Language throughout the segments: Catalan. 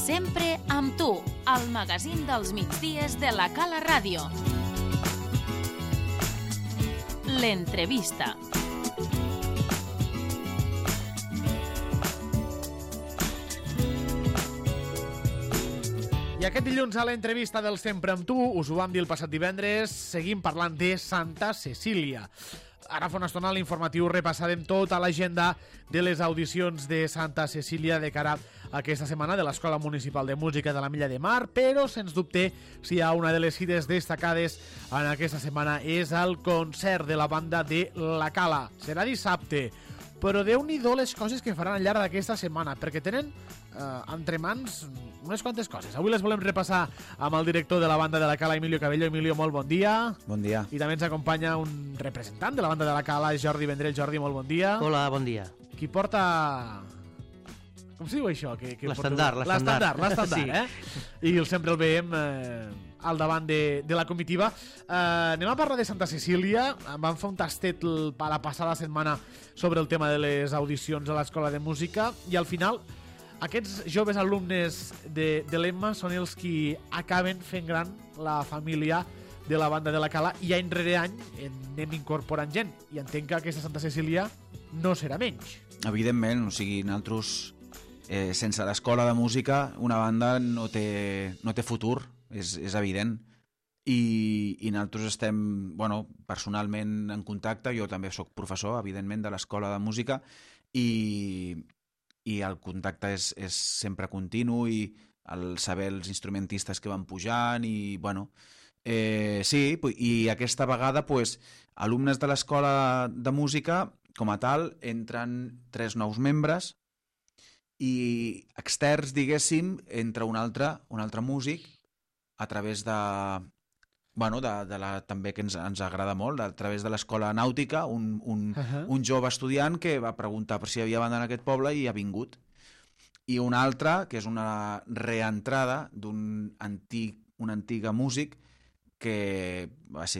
Sempre amb tu, al magazín dels migdies de la Cala Ràdio. L'entrevista. I aquest dilluns a l'entrevista del Sempre amb tu, us ho vam dir el passat divendres, seguim parlant de Santa Cecília. Ara fa una estona a l'informatiu repassarem tota l'agenda de les audicions de Santa Cecília de cara a aquesta setmana de l'Escola Municipal de Música de la Milla de Mar, però sens dubte si hi ha una de les cites destacades en aquesta setmana és el concert de la banda de La Cala. Serà dissabte, però Déu-n'hi-do les coses que faran al llarg d'aquesta setmana, perquè tenen entre mans unes quantes coses. Avui les volem repassar amb el director de la banda de La Cala, Emilio Cabello. Emilio, molt bon dia. Bon dia. I també ens acompanya un representant de la banda de La Cala, Jordi Vendrell. Jordi, molt bon dia. Hola, bon dia. Qui porta... Com se diu això? L'estandard. Sí. I sempre el veiem al davant de la comitiva. Anem a parlar de Santa Cecília. Vam fer un tastet la passada setmana sobre el tema de les audicions a l'Escola de Música i al final aquests joves alumnes de l'Emma són els qui acaben fent gran la família de la banda de La Cala i any rere any anem incorporant gent i entenc que aquesta Santa Cecília no serà menys. Evidentment, o sigui, nosaltres sense l'Escola de Música una banda no té futur, és evident. I nosaltres estem, personalment en contacte, jo també sóc professor, evidentment, de l'Escola de Música i el contacte és sempre continu i el saber els instrumentistes que van pujant i, sí, i aquesta vegada, alumnes de l'Escola de Música, com a tal, entren 3 nous membres i externs, diguéssim, entra un altre músic a través també que ens agrada molt, a través de l'Escola Nàutica, un jove estudiant que va preguntar per si havia banda en aquest poble i ha vingut. I un altre, que és una reentrada d'un antic músic que als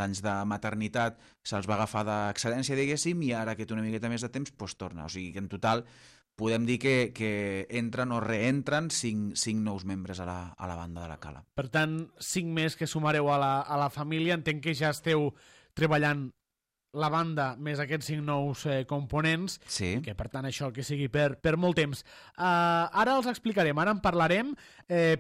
anys de maternitat se'ls va agafar d'excel·lència, diguéssim, i ara que té una miqueta més de temps, torna. O sigui que en total podem dir que entren o reentren 5 nous membres a la banda de La Cala. Per tant, 5 més que sumareu a la família. Entenc que ja esteu treballant la banda més aquests 5 nous components, sí. Que per tant això que sigui per molt temps. Ara els explicarem, ara en parlarem,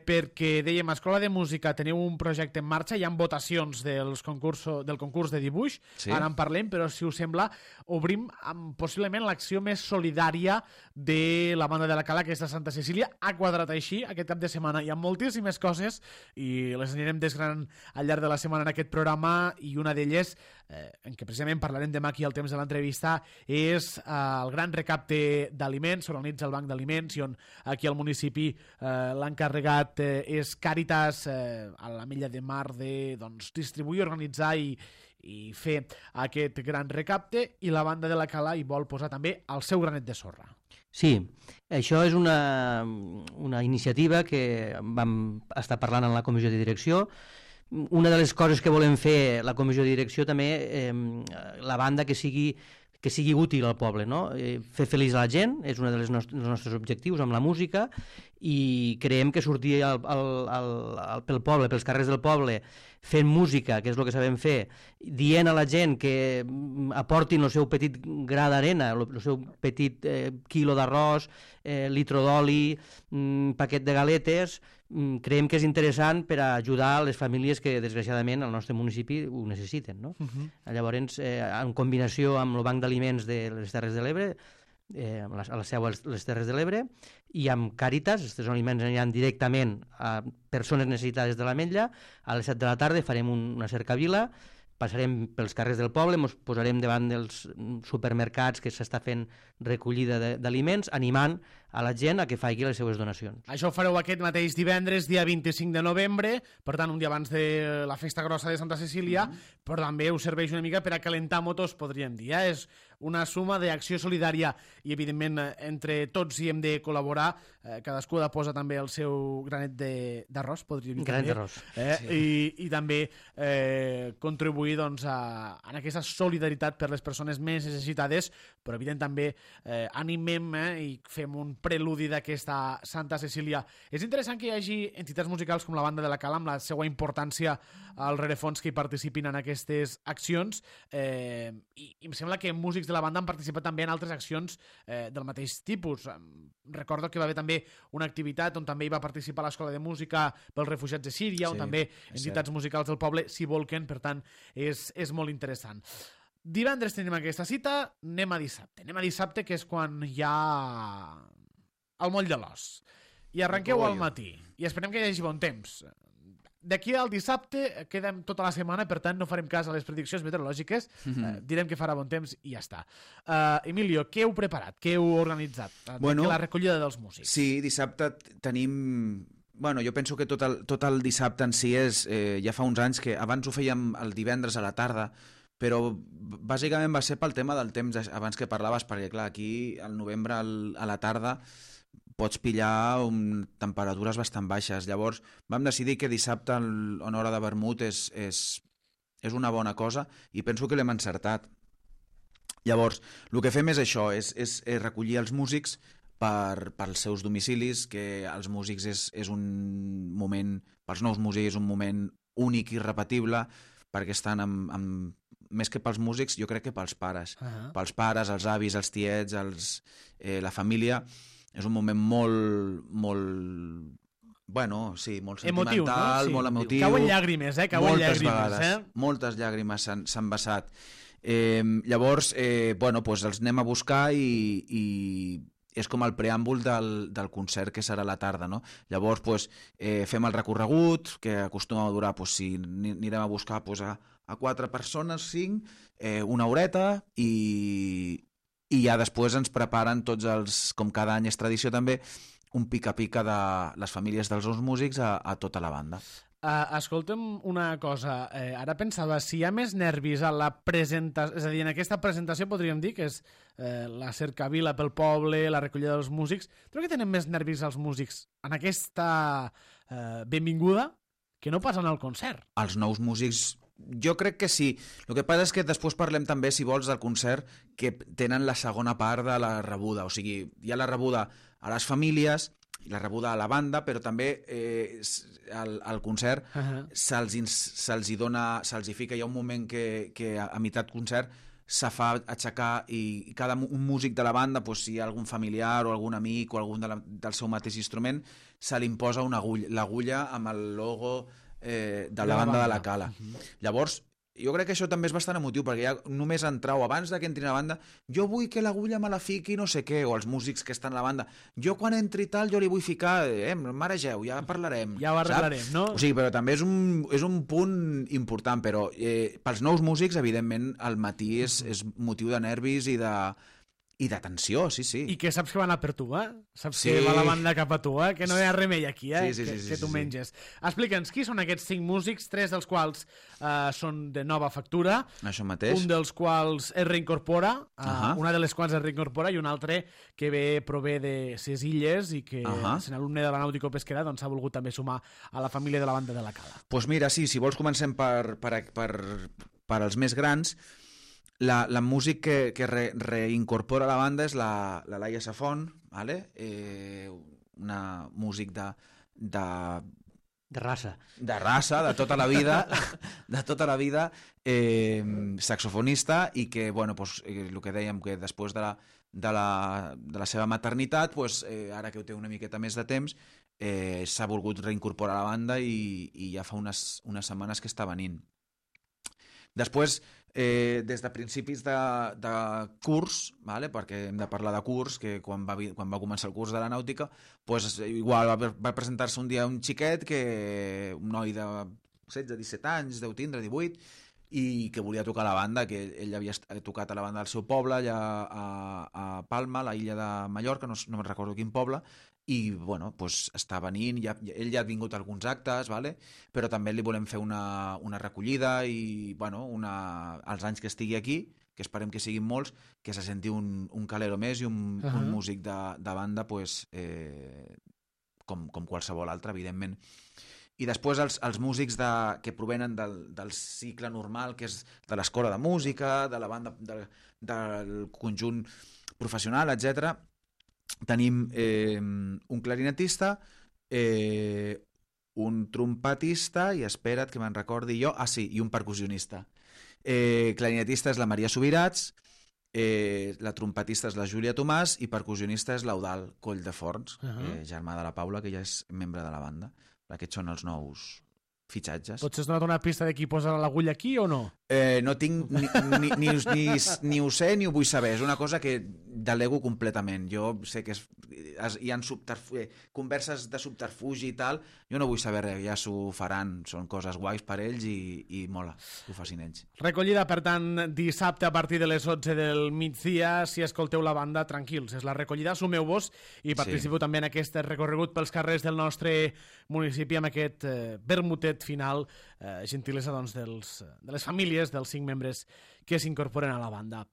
perquè dèiem, a Escola de Música teniu un projecte en marxa, hi ha votacions del concurs de dibuix, sí. Ara en parlem, però si us sembla obrim amb possiblement l'acció més solidària de la banda de La Cala, aquesta Santa Cecília. Ha quadrat així aquest cap de setmana, hi ha moltíssimes coses i les anirem desgranant al llarg de la setmana en aquest programa, i una d'elles, en què precisament parlarem demà aquí al temps de l'entrevista, és el gran recapte d'aliments. S'organitza el Banc d'Aliments i on aquí al municipi l'encarregat és Càritas a la Milla de Mar de distribuir, organitzar i fer aquest gran recapte, i la banda de La Cala hi vol posar també el seu granet de sorra. Sí, això és una iniciativa que vam estar parlant en la comissió de direcció. Una de les coses que volem fer la comissió de direcció també, la banda que sigui útil al poble, no? Fer feliç a la gent és un dels nostres objectius amb la música, i creiem que sortir pel poble, pels carrers del poble, fent música, que és el que sabem fer, dient a la gent que aportin el seu petit gra d'arena, el seu petit quilo d'arròs, litro d'oli, paquet de galetes, creiem que és interessant per a ajudar les famílies que desgraciadament al nostre municipi ho necessiten, no? Llavors, en combinació amb el Banc d'Aliments de les Terres de l'Ebre, a la seu a les Terres de l'Ebre, i amb Càritas, aquests aliments aniran directament a persones necessitades de l'Ametlla. A les 7 de la tarda farem una cercavila, passarem pels carrers del poble, ens posarem davant dels supermercats que s'està fent recollida d'aliments, animant a la gent a que faci les seues donacions. Això ho fareu aquest mateix divendres, dia 25 de novembre, per tant un dia abans de la festa grossa de Santa Cecília, però també us serveix una mica per a calentar motors, podríem dir. És una suma d'acció solidària i, evidentment, entre tots hi hem de col·laborar. Cadascú ha de posar també el seu granet d'arròs, podríem dir. Granet d'arròs. I també contribuir en aquesta solidaritat per les persones més necessitades, però, evident, també animem i fem un preludi d'aquesta Santa Cecília. És interessant que hi hagi entitats musicals com la Banda de la Cala, amb la seva importància al rerefons, que hi participin en aquestes accions, i em sembla que músics de la banda han participat també en altres accions del mateix tipus. Recordo que va haver també una activitat on també hi va participar l'Escola de Música pels Refugiats de Síria, on també entitats musicals del poble s'hi volquen, per tant, és molt interessant. Divendres tenim aquesta cita, anem a dissabte, que és quan hi ha el moll de l'os. I arrenqueu al matí, i esperem que hi hagi bon temps. D'aquí al dissabte quedem tota la setmana, per tant no farem cas a les prediccions meteorològiques, direm que farà bon temps i ja està. Emilio, què heu preparat? Què heu organitzat? La recollida dels músics. Sí, dissabte tenim... Bueno, jo penso que tot el dissabte en si és... ja fa uns anys que abans ho fèiem el divendres a la tarda, però bàsicament va ser pel tema del temps abans que parlaves, perquè clar, aquí al novembre a la tarda pots pillar temperatures bastant baixes. Llavors vam decidir que dissabte en hora de vermut és una bona cosa i penso que l'hem encertat. Llavors, el que fem és això, és recollir els músics pels seus domicilis, que els músics és un moment, pels nous músics és un moment únic i irrepetible, perquè estan més que pels músics, jo crec que pels pares. Pels pares, els avis, els tiets, la família. És un moment molt sentimental, emotiu, no? Sí. Molt emotiu. Cauen llàgrimes, moltes llàgrimes s'han vessat. Llavors, els anem a buscar i és com el preàmbul del concert que serà a la tarda, no? Llavors, fem el recorregut, que acostuma a durar, si anirem a buscar a 4 persones, 5, una horeta, i ja després ens preparen tots com cada any és tradició també, un pica-pica de les famílies dels nous músics a tota la banda. Escolta'm una cosa, ara pensava, si hi ha més nervis a la presentació, és a dir, en aquesta presentació podríem dir que és la cercavila pel poble, la recollida dels músics, crec que tenen més nervis els músics en aquesta benvinguda que no pas en el concert. Els nous músics, jo crec que sí. El que passa és que després parlem també, si vols, del concert, que tenen la segona part de la rebuda, o sigui, hi ha la rebuda a les famílies, la rebuda a la banda, però també al concert se'ls hi fica, hi ha un moment que a meitat concert se fa aixecar i cada un músic de la banda, si hi ha algun familiar o algun amic o algun del seu mateix instrument, se li imposa l'agulla amb el logo de la banda de la Cala. Llavors, jo crec que això també és bastant emotiu, perquè ja només entrar o abans que entrin a la banda, jo vull que l'agulla me la fiqui no sé què, o els músics que estan a la banda, jo quan entri tal jo li vull ficar, maregeu, ja parlarem. Ja ho arreglarem, no? O sigui, però també és un punt important, però pels nous músics, evidentment, al matí és motiu de nervis i de tensió, sí. I que saps que van a per tu, Saps que va la banda cap a tu, que no hi ha remei aquí, que tu menges. Explica'ns, qui són aquests 5 músics, 3 dels quals són de nova factura, això mateix. Un dels quals es reincorpora, una de les quals es reincorpora i un altre que prové de ses illes i que sent alumne de la Nàutico Pesquera doncs s'ha volgut també sumar a la família de la banda de la Cala. Doncs mira, sí, si vols comencem per als més grans. La músic que reincorpora la banda és la Laia Safon, una músic de raça. De raça, de tota la vida, saxofonista, i que, el que dèiem, que després de la seva maternitat, ara que ho té una miqueta més de temps, s'ha volgut reincorporar a la banda i ja fa unes setmanes que està venint. Després, des de principis de curs, perquè hem de parlar de curs, que quan va començar el curs de la nàutica, igual va presentar-se un dia un xiquet, un noi de 16-17 anys, deu tindre 18, i que volia tocar a la banda, que ell havia tocat a la banda del seu poble, allà a Palma, a la illa de Mallorca, no me'n recordo quin poble, i està venint, ell ja ha vingut a alguns actes, però també li volem fer una recollida i els anys que estigui aquí, que esperem que siguin molts, que se senti un calero més i un músic de banda com qualsevol altre, evidentment. I després els músics que provenen del cicle normal, que és de l'escola de música, de la banda, del conjunt professional, etc. tenim un clarinetista, un trompetista, i espera't que me'n recordi jo, i un percussionista. Clarinetista és la Maria Subirats, la trompetista és la Júlia Tomàs i percussionista és l'Eudal Colldeforns, germà de la Paula, que ja és membre de la banda. Aquests són els nous fitxatges. Potser has donat una pista de qui posa l'agulla aquí o no? No tinc ni ho sé ni ho vull saber. És una cosa que delego completament. Jo sé que hi ha converses de subterfugi i tal. Jo no vull saber res, ja s'ho faran. Són coses guais per ells i mola que ho facin ells. Recollida, per tant, dissabte a partir de les 11 del migdia. Si escolteu la banda, tranquils. És la recollida, sumeu-vos i participeu també en aquest recorregut pels carrers del nostre municipi amb aquest vermutet final, gentilesa doncs, de les famílies dels 5 membres que s'incorporen a la banda.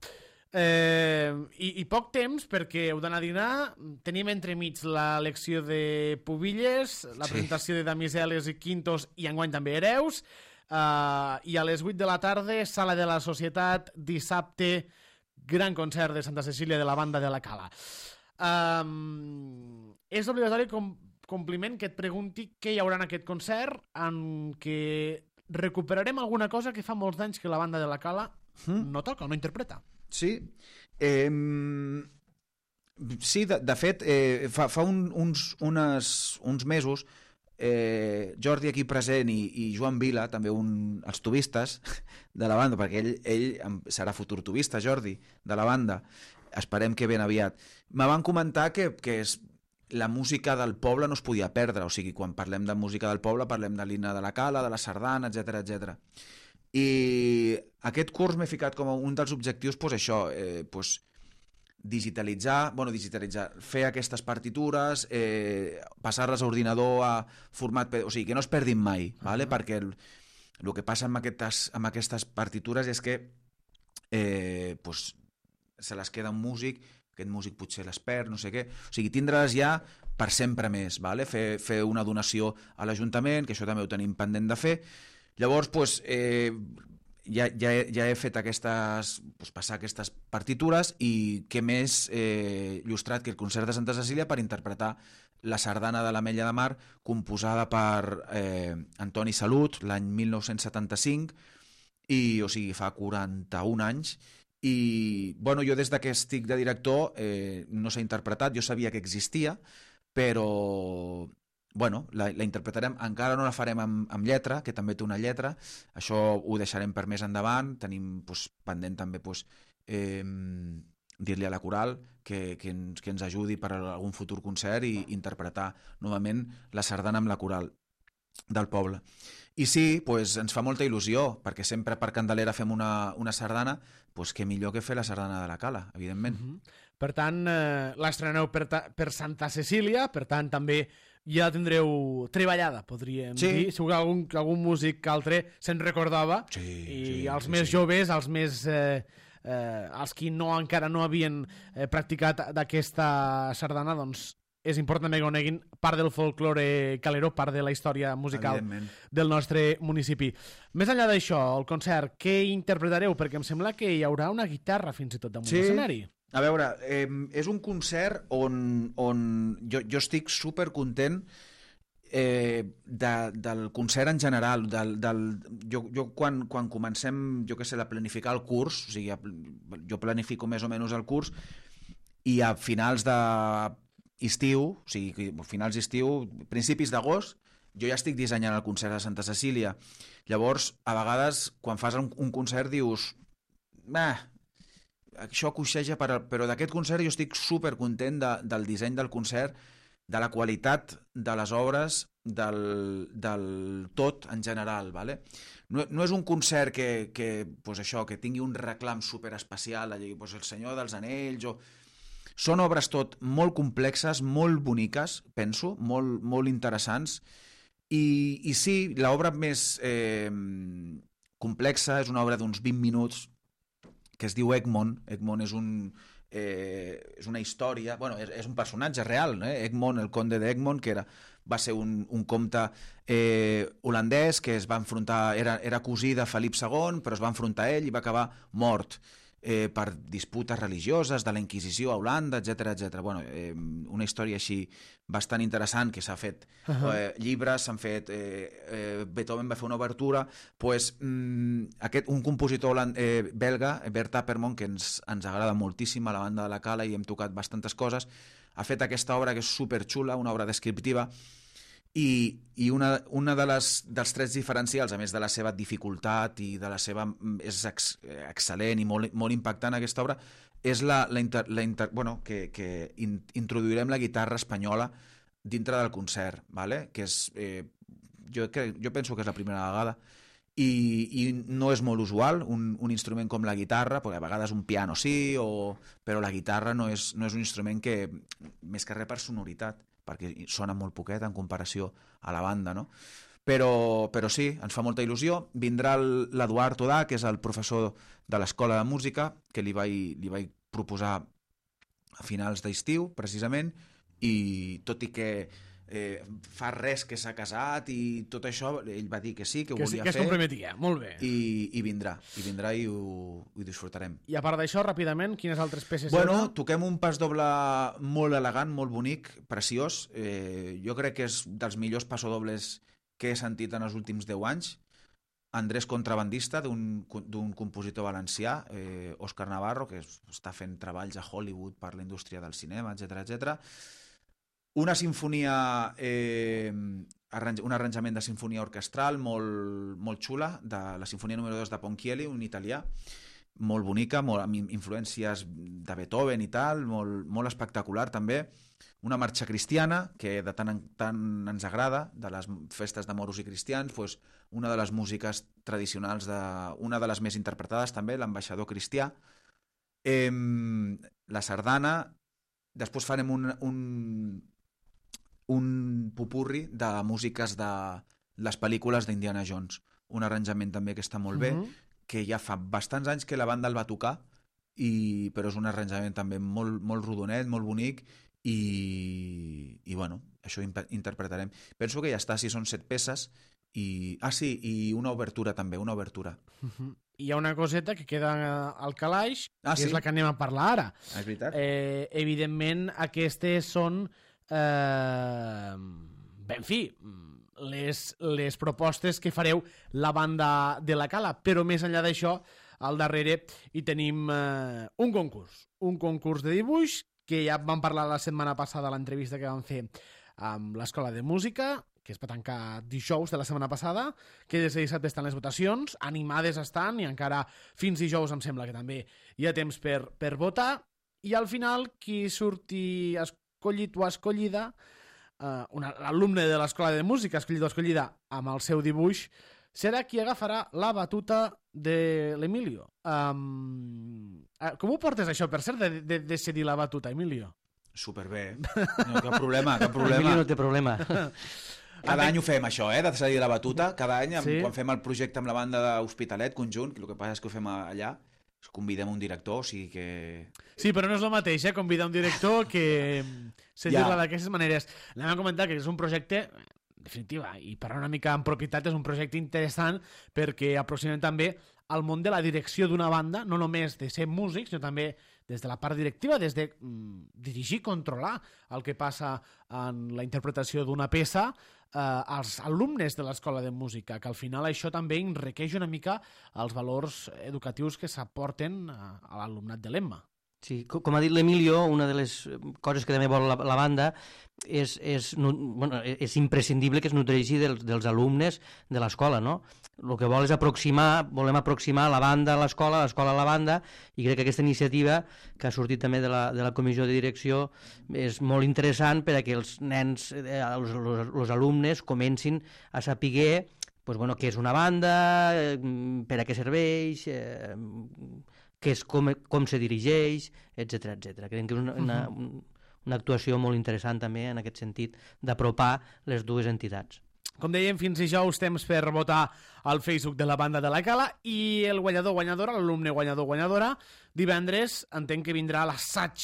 I poc temps, perquè heu d'anar a dinar. Tenim entremig la lecció de Pubilles, la presentació de Damiseles i Quintos i enguany també Hereus, i a les 8 de la tarda, Sala de la Societat, dissabte, gran concert de Santa Cecília de la banda de la Cala. És obligatori compliment que et pregunti què hi haurà en aquest concert, en què recuperarem alguna cosa que fa molts d'anys que la banda de la Cala no toca, no interpreta. Sí. Sí, de fet, fa uns mesos, Jordi aquí present i Joan Vila, també els tubistes de la banda, perquè ell serà futur tubista, Jordi, de la banda, esperem que ben aviat, me van comentar que la música del poble no es podia perdre, o sigui, quan parlem de música del poble parlem de l'himne de la Cala, de la sardana, etc. I aquest curs m'he ficat com un dels objectius, això, digitalitzar, fer aquestes partitures, passar-les a ordinador a format, o sigui, que no es perdin mai, ¿vale? Perquè el que passa amb aquestes partitures és que se les queda un músic, aquest músic potser les perd, no sé què, o sigui, tindre-les ja per sempre més, ¿vale? Fer una donació a l'Ajuntament, que això també ho tenim pendent de fer. Llavors, ja he fet passar aquestes partitures, i què més il·lustrat que el concert de Santa Cecília per interpretar la sardana de l'Ametlla de Mar, composada per Antoni Salut l'any 1975, o sigui, fa 41 anys, i jo des que estic de director no s'ha interpretat, jo sabia que existia, però la interpretarem, encara no la farem amb lletra, que també té una lletra, això ho deixarem per més endavant, tenim pendent també dir-li a la coral que ens ajudi per a algun futur concert i interpretar novament la sardana amb la coral del poble. I sí, ens fa molta il·lusió, perquè sempre per Candelera fem una sardana, què millor que fer la sardana de la Cala, evidentment. Per tant, l'estreneu per Santa Cecília, per tant també ja la tindreu treballada, podríem dir. Segur que algun músic altre se'n recordava, i els més joves, els qui encara no havien practicat d'aquesta sardana, doncs és important que coneguin part del folklore calero, part de la història musical del nostre municipi. Més enllà d'això, el concert, què interpretareu? Perquè em sembla que hi haurà una guitarra fins i tot damunt l'escenari. A veure, és un concert on jo estic supercontent del concert en general. Jo quan comencem, a planificar el curs, o sigui, jo planifico més o menys el curs, i a finals d'estiu, o sigui, finals d'estiu, principis d'agost, jo ja estic dissenyant el concert de Santa Cecília. Llavors, a vegades, quan fas un concert, dius això coixeja, però d'aquest concert jo estic supercontent del disseny del concert, de la qualitat de les obres, del tot en general. No és un concert que tingui un reclam superespecial, el Senyor dels Anells, són obres tot molt complexes, molt boniques, penso, molt interessants, i sí, l'obra més complexa és una obra d'uns 20 minuts que es diu Egmont. Egmont és una història, és un personatge real, Egmont, el conde d'Egmont, que va ser un comte holandès que es va enfrontar, era cosí de Felip II, però es va enfrontar a ell i va acabar mort. per disputes religioses de la Inquisició a Holanda, etc. Bueno, una història així bastant interessant que s'ha fet llibres, s'han fet... Beethoven va fer una obertura, pues, un compositor belga, Bert Appermont, que ens agrada moltíssim a la banda de la Cala i hem tocat bastantes coses, ha fet aquesta obra que és superxula, una obra descriptiva, i una dels trets diferencials, a més de la seva dificultat i de la seva... és excel·lent i molt impactant aquesta obra, és que introduirem la guitarra espanyola dintre del concert, ¿vale? Que és, jo penso que és la primera vegada, i no és molt usual un instrument com la guitarra, perquè a vegades un piano sí, però la guitarra no és un instrument que, més que res per sonoritat, perquè sona molt poquet en comparació a la banda, no? Però sí, ens fa molta il·lusió. Vindrà l'Eduard Todà, que és el professor de l'Escola de Música, que li vaig proposar a finals d'estiu, precisament, i tot i que fa res que s'ha casat i tot això, ell va dir que sí, que ho volia fer. Que es comprometia, molt bé. I vindrà i ho disfrutarem. I a part d'això, ràpidament, quines altres peces toquem un pas doble molt elegant, molt bonic, preciós. Jo crec que és dels millors passodobles que he sentit en els últims 10 anys. Andrés Contrabandista, d'un compositor valencià, Òscar Navarro, que està fent treballs a Hollywood per la indústria del cinema, etc. Una sinfonia, un arranjament de sinfonia orquestral molt xula, de la sinfonia número 2 de Ponchielli, un italià, molt bonica, amb influències de Beethoven i tal, molt espectacular també. Una marxa cristiana, que de tant en tant ens agrada, de les festes de moros i cristians, doncs una de les músiques tradicionals, una de les més interpretades també, l'Ambaixador cristià. La sardana, després farem un popurri de músiques de les pel·lícules d'Indiana Jones, un arranjament també que està molt bé, que ja fa bastants anys que la banda el va tocar, però és un arranjament també molt rodonet, molt bonic, i bueno, això interpretarem. Penso que ja està, si són 7 peces, i una obertura també, una obertura. Hi ha una coseta que queda al calaix, que sí? és la que anem a parlar ara. És veritat? Evidentment, aquestes són... en fi, les propostes que fareu la banda de la Cala, però més enllà d'això, al darrere hi tenim un concurs de dibuix, que ja vam parlar la setmana passada a l'entrevista que vam fer amb l'Escola de Música, que es va tancar dijous de la setmana passada, que des de dissabte estan les votacions, animades estan, i encara fins dijous em sembla que també hi ha temps per votar, i al final qui surti escollit o escollida, l'alumne de l'Escola de Música escollit o escollida amb el seu dibuix, serà qui agafarà la batuta de l'Emilio. Com ho portes això, per cert, de decidir la batuta, Emilio? Superbé, no, cap problema. Emilio no té problema. Cada any ho fem, això, de decidir la batuta. Cada any, quan fem el projecte amb la banda d'Hospitalet, conjunt, el que passa és que ho fem allà, convidem un director, o sigui que... Sí, però no és el mateix, convidar un director que sentir-la d'aquestes maneres. Anem a comentar que és un projecte, en definitiva, i parlar una mica en propietat, és un projecte interessant perquè aproximem també al món de la direcció d'una banda, no només de ser músics, sinó també des de la part directiva, des de dirigir, controlar el que passa en la interpretació d'una peça, als alumnes de l'Escola de Música, que al final això també enriqueix una mica els valors educatius que s'aporten a l'alumnat de l'EMMA. Sí, com ha dit l'Emilio, una de les coses que també vol la banda és imprescindible que es nodreixi dels alumnes de l'escola, no? El que vol és volem aproximar la banda a l'escola a la banda, i crec que aquesta iniciativa que ha sortit també de la comissió de direcció és molt interessant per a que els nens, els alumnes, comencin a saber què és una banda, per a què serveix, com se dirigeix, etc. Crec que és una actuació molt interessant també en aquest sentit d'apropar les dues entitats. Com dèiem, fins dijous temps per votar al Facebook de la banda de la Cala, i el guanyadora, l'alumne guanyadora, divendres entenc que vindrà l'assaig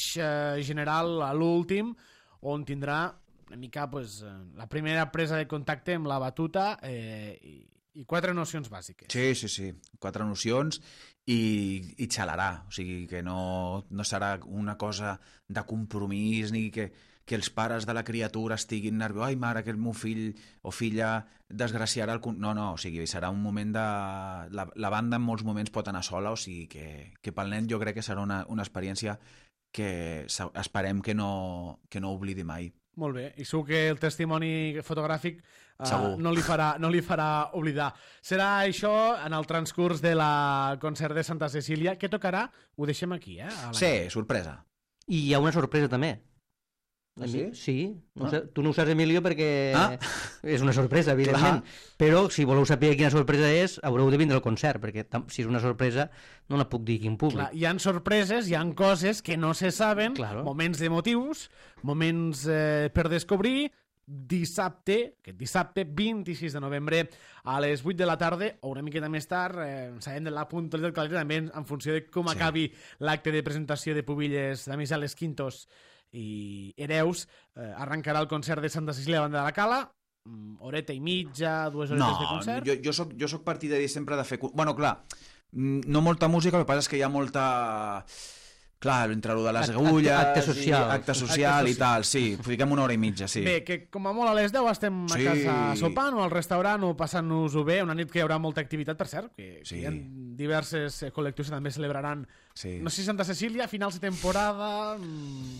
general a l'últim, on tindrà una mica la primera presa de contacte amb la batuta, I 4 nocions bàsiques. Sí. 4 nocions i xalarà. O sigui, que no serà una cosa de compromís ni que els pares de la criatura estiguin nerviosos. Ai, mare, que el meu fill o filla desgraciarà el... No, o sigui, serà un moment de... La banda en molts moments pot anar sola, o sigui que pel nen jo crec que serà una experiència que esperem que no oblidi mai. Molt bé, i segur que el testimoni fotogràfic no li farà oblidar. Serà això en el transcurs de la concert de Santa Cecília. Què tocarà? Ho deixem aquí, Sí, sorpresa. I hi ha una sorpresa també. Ah, sí? Sí. Tu no ho saps, Emilio, perquè és una sorpresa, evidentment. Però si voleu saber quina sorpresa és, haureu de vindre al concert, perquè si és una sorpresa no la puc dir aquí en públic. Clar, hi ha sorpreses, hi ha coses que no se saben, moments emotius, moments per descobrir. Aquest dissabte 26 de novembre a les 8 de la tarda o una miqueta més tard, sabem de la puntualitat del calendari també en funció de com acabi l'acte de presentació de Pubilles, de Misales Quintos i Hereus, arrencarà el concert de Santa Cecília a banda de la Cala, horeta i mitja, 2 horetes de concert. Jo soc partidari sempre de fer... Bueno, clar, no molta música, el que passa és que hi ha molta... Clar, entre lo de les agulles... Acte social i tal, sí. Fiquem 1 hora i mitja, sí. Bé, que com a molt a les 10 estem a casa sopant o al restaurant o passant-nos-ho bé, una nit que hi haurà molta activitat, per cert, que hi ha diverses col·lectius que també celebraran, no sé si Santa Cecília, finals de temporada,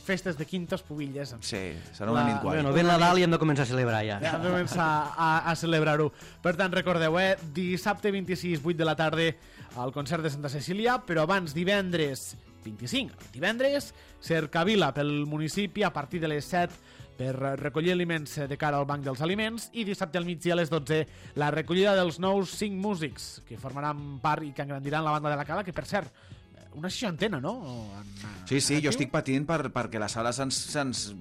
festes de quintos, Pubilles... Sí, serà una nit guai. Bueno, ve Nadal i hem de començar a celebrar ja. Hem de començar a celebrar-ho. Per tant, recordeu, dissabte 26, 8 de la tarda, al concert de Santa Cecília, però abans divendres 25, aquest divendres, cercavila pel municipi a partir de les 7 per recollir aliments de cara al Banc dels Aliments i dissabte al migdia a les 12 la recollida dels nous 5 músics que formaran part i que engrandiran la banda de la Cala, que per cert, una 60ena, no? Sí, jo estic patint perquè la sala se'ns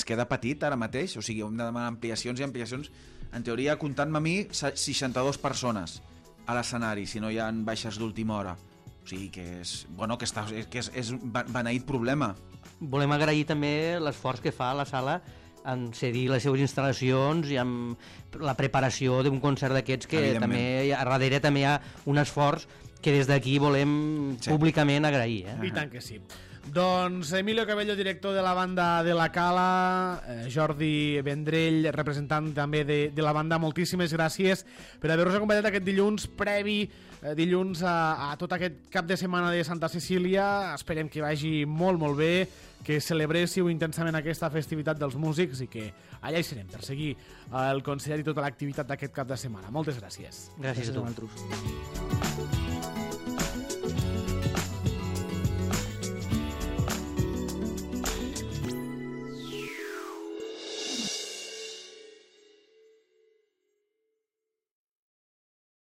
queda petit ara mateix, o sigui, hem de demanar ampliacions i ampliacions. En teoria, comptant-me a mi, 62 persones a l'escenari, si no hi ha baixes d'última hora. O sigui que és beneït problema. Volem agrair també l'esforç que fa la sala en cedir les seves instal·lacions i amb la preparació d'un concert d'aquests que també a darrere també hi ha un esforç que des d'aquí volem públicament agrair. I tant que sí. Doncs Emilio Cabello, director de la banda de la Cala, Jordi Vendrell, representant també de la banda, moltíssimes gràcies per haver-nos acompanyat aquest dilluns previ, dilluns a tot aquest cap de setmana de Santa Cecília. Esperem que vagi molt, molt bé, que celebréssiu intensament aquesta festivitat dels músics i que allà hi serem per seguir el concert i tota l'activitat d'aquest cap de setmana. Moltes gràcies. Gràcies a tu.